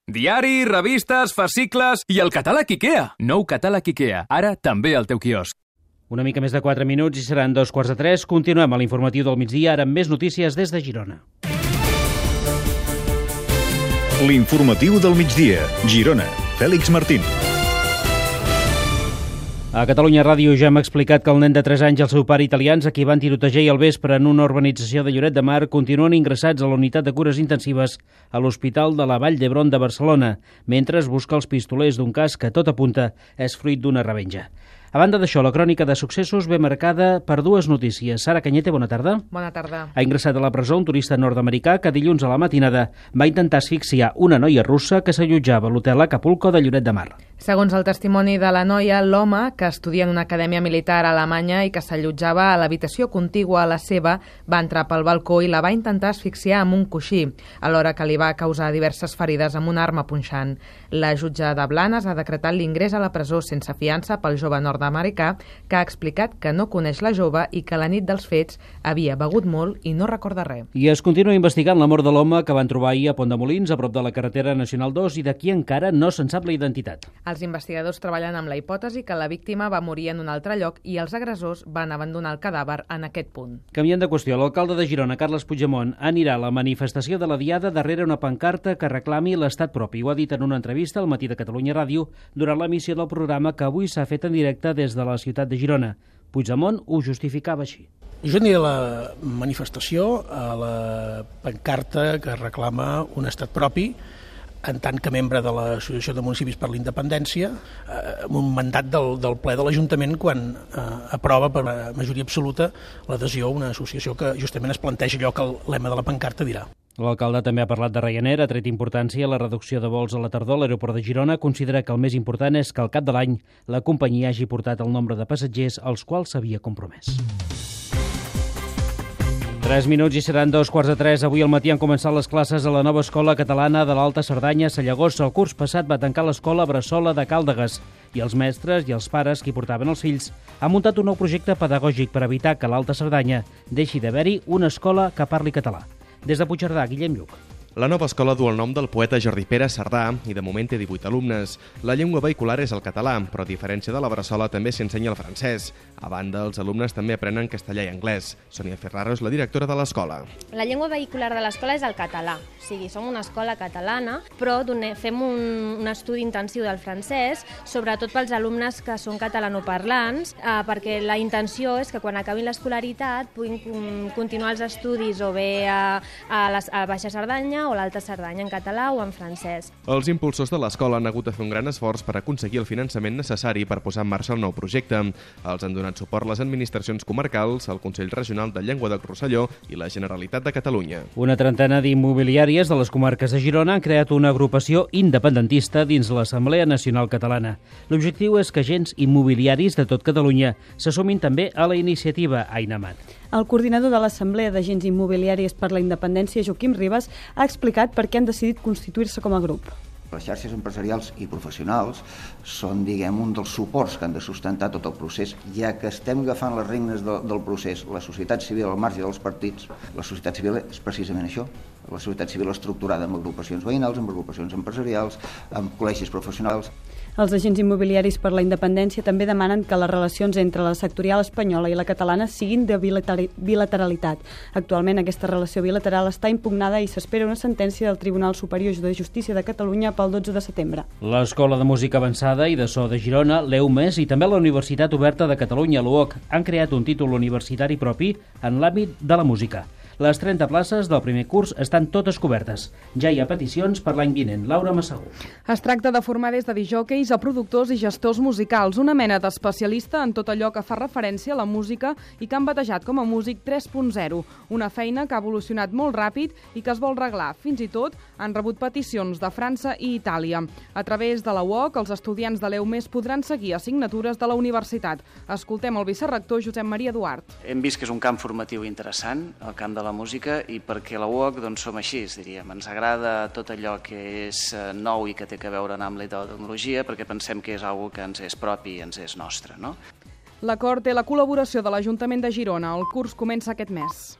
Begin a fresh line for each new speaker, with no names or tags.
Diari, revistes, fascicles i el catàleg IKEA. Nou catàleg IKEA, ara també al teu quiosc.
Una mica més de 4 minuts i seran 2:45. Continuem a l'informatiu del migdia, ara amb més notícies des de Girona.
L'informatiu del migdia, Girona. Fèlix Martín.
A Catalunya Ràdio ja hem explicat que el nen de 3 anys i el seu pare italians, a qui van tirotejar ahir al vespre en una urbanització de Lloret de Mar, continuen ingressats a la unitat de cures intensives a l'Hospital de la Vall d'Hebron de Barcelona, mentre es busca els pistolers d'un cas que tot apunta és fruit d'una revenja. A banda d'això, la crònica de successos ve marcada per dues notícies. Sara Cañete, bona tarda.
Bona tarda.
Ha ingressat a la presó un turista nord-americà que dilluns a la matinada va intentar asfixiar una noia russa que s'allotjava a l'hotel Acapulco de Lloret de Mar.
Segons el testimoni de la noia, l'home, que estudia en una acadèmia militar a Alemanya i que s'allotjava a l'habitació contigua a la seva, va entrar pel balcó i la va intentar asfixiar amb un coixí, alhora que li va causar diverses ferides amb una arma punxant. La jutge de Blanes ha decretat l'ingrés a la presó sense fiança pel jove nord-americà, que ha explicat que no coneix la jove i que la nit dels fets havia begut molt i no recorda res.
I es continua investigant la mort de l'home que van trobar ahir a Pont de Molins, a prop de la carretera Nacional 2, i de qui encara no se'n sap la identitat.
Els investigadors treballen amb la hipòtesi que la víctima va morir en un altre lloc i els agressors van abandonar el cadàver en aquest punt.
Canviant de qüestió, l'alcalde de Girona, Carles Puigdemont, anirà a la manifestació de la Diada darrere una pancarta que reclami l'estat propi. Ho ha dit en una entrevista al Matí de Catalunya Ràdio durant l'emissió del programa que avui s'ha fet en directe des de la ciutat de Girona. Puigdemont ho justificava així.
Jo aniré a la manifestació, a la pancarta que reclama un estat propi, en tant que membre de l'Associació de Municipis per la Independència, amb un mandat del ple de l'Ajuntament quan aprova per majoria absoluta l'adhesió a una associació que justament es planteja allò que el lema de la pancarta dirà.
L'alcalde també ha parlat de Ryanair, ha tret importància a la reducció de vols a la tardor a l'aeroport de Girona. Considera que el més important és que al cap de l'any la companyia hagi portat el nombre de passatgers als quals s'havia compromès. 3 minuts i seran 2:45. Avui al matí han començat les classes a la nova escola catalana de l'Alta Cerdanya a Sallagosa. El curs passat va tancar l'escola Bressola de Càldegues i els mestres i els pares que hi portaven els fills han muntat un nou projecte pedagògic per evitar que a l'Alta Cerdanya deixi d'haver-hi una escola que parli català. Des de Puigcerdà, Guillem Lluc.
La nova escola du el nom del poeta Jordi Pere Cerdà i de moment té 18 alumnes. La llengua vehicular és el català, però a diferència de la Bressola també s'ensenya el francès. A banda, els alumnes també aprenen castellà i anglès. Sònia Ferraro és la directora de l'escola.
La llengua vehicular de l'escola és el català. O sigui, som una escola catalana, però fem un estudi intensiu del francès, sobretot pels alumnes que són catalanoparlants, perquè la intenció és que quan acabin l'escolaritat puguin continuar els estudis o bé a Baixa Cerdanya o l'Alta Cerdanya en català o en francès.
Els impulsors de l'escola han hagut de fer un gran esforç per aconseguir el finançament necessari per posar en marxa el nou projecte. Els han donat suport les administracions comarcals, el Consell Regional de Llengua del Rosselló i la Generalitat de Catalunya.
Una trentena d'immobiliàries de les comarques de Girona han creat una agrupació independentista dins l'Assemblea Nacional Catalana. L'objectiu és que agents immobiliaris de tot Catalunya se sumin també a la iniciativa Ainamat.
El coordinador de l'Assemblea d'Agents Immobiliaris per la Independència, Joaquim Ribas, ha explicat per què han decidit constituir-se com a grup.
Les xarxes empresarials i professionals són, diguem, un dels suports que han de sustentar tot el procés, ja que estem agafant les regnes del procés. La societat civil al marge dels partits, la societat civil és precisament això. La societat civil estructurada amb agrupacions veïnals, amb agrupacions empresarials, amb col·legis professionals.
Els agents immobiliaris per la independència també demanen que les relacions entre la sectorial espanyola i la catalana siguin de bilateralitat. Actualment aquesta relació bilateral està impugnada i s'espera una sentència del Tribunal Superior de Justícia de Catalunya pel 12 de setembre.
L'Escola de Música Avançada i de So de Girona, l'EUMES i també la Universitat Oberta de Catalunya, l'UOC, han creat un títol universitari propi en l'àmbit de la música. Les 30 places del primer curs estan totes cobertes. Ja hi ha peticions per l'any vinent. Laura Massaguer.
Es tracta de formar des de disjòqueis a productors i gestors musicals, una mena d'especialista en tot allò que fa referència a la música i que han batejat com a Músic 3.0, una feina que ha evolucionat molt ràpid i que es vol reglar. Fins i tot han rebut peticions de França i Itàlia. A través de la UOC, els estudiants de l'EUMES podran seguir assignatures de la universitat. Escoltem el vicerrector Josep Maria Duart.
Hem vist que és un camp formatiu interessant, el camp de la música, i perquè la UOC doncs, som així, diríem. Ens agrada tot allò que és nou i que té a veure amb la tecnologia, perquè pensem que és una que ens és propi i ens és nostre, no?
L'acord té la col·laboració de l'Ajuntament de Girona. El curs comença aquest mes.